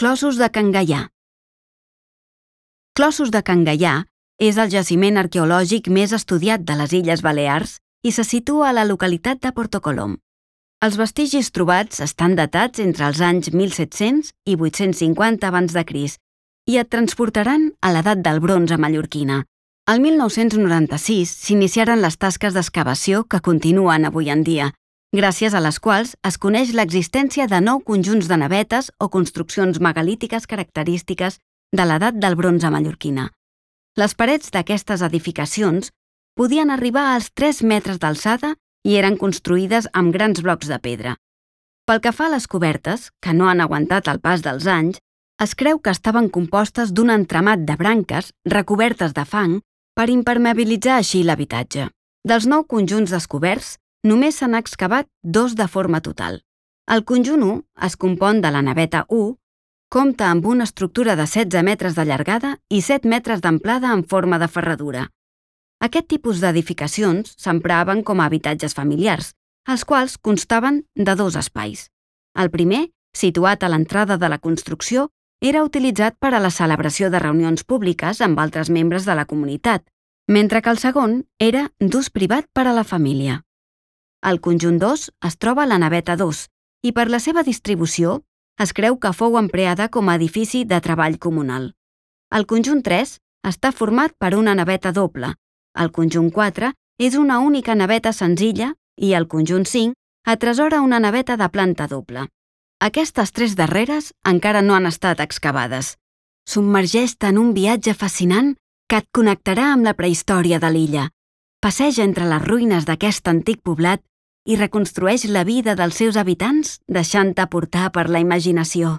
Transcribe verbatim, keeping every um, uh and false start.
Clossos de Can Gaià. Clossos de Can Gaià és el jaciment arqueològic més estudiat de les Illes Balears i se situa a la localitat de Portocolom. Els vestigis trobats estan datats entre els anys mil set-cents i vuit-cents cinquanta abans de Crist i et transportaran a l'edat del bronze mallorquina. El mil nou-cents noranta-sis s'iniciaren les tasques d'excavació que continuen avui en dia, gràcies a les quals es coneix l'existència de nou conjunts de navetes o construccions megalítiques característiques de l'edat del bronze mallorquina. Les parets d'aquestes edificacions podien arribar als tres metres d'alçada i eren construïdes amb grans blocs de pedra. Pel que fa a les cobertes, que no han aguantat el pas dels anys, es creu que estaven compostes d'un entramat de branques recobertes de fang per impermeabilitzar així l'habitatge. Dels nou conjunts descoberts, només s'han excavat dos de forma total. El conjunt u es compon de la naveta u, compta amb una estructura de setze metres de llargada i set metres d'amplada en forma de ferradura. Aquest tipus d'edificacions s'empraven com a habitatges familiars, els quals constaven de dos espais. El primer, situat a l'entrada de la construcció, era utilitzat per a la celebració de reunions públiques amb altres membres de la comunitat, mentre que el segon era d'ús privat per a la família. Al conjunt dos es troba la naveta dos i per la seva distribució es creu que fou empleada com a edifici de treball comunal. El conjunt tres està format per una naveta doble, el conjunt quatre és una única naveta senzilla i el conjunt cinc atresora una naveta de planta doble. Aquestes tres darreres encara no han estat excavades. Submergeix-te en un viatge fascinant que et connectarà amb la prehistòria de l'illa. Passeja entre les ruïnes d'aquest antic poblat i reconstrueix la vida dels seus habitants deixant-te portar per la imaginació.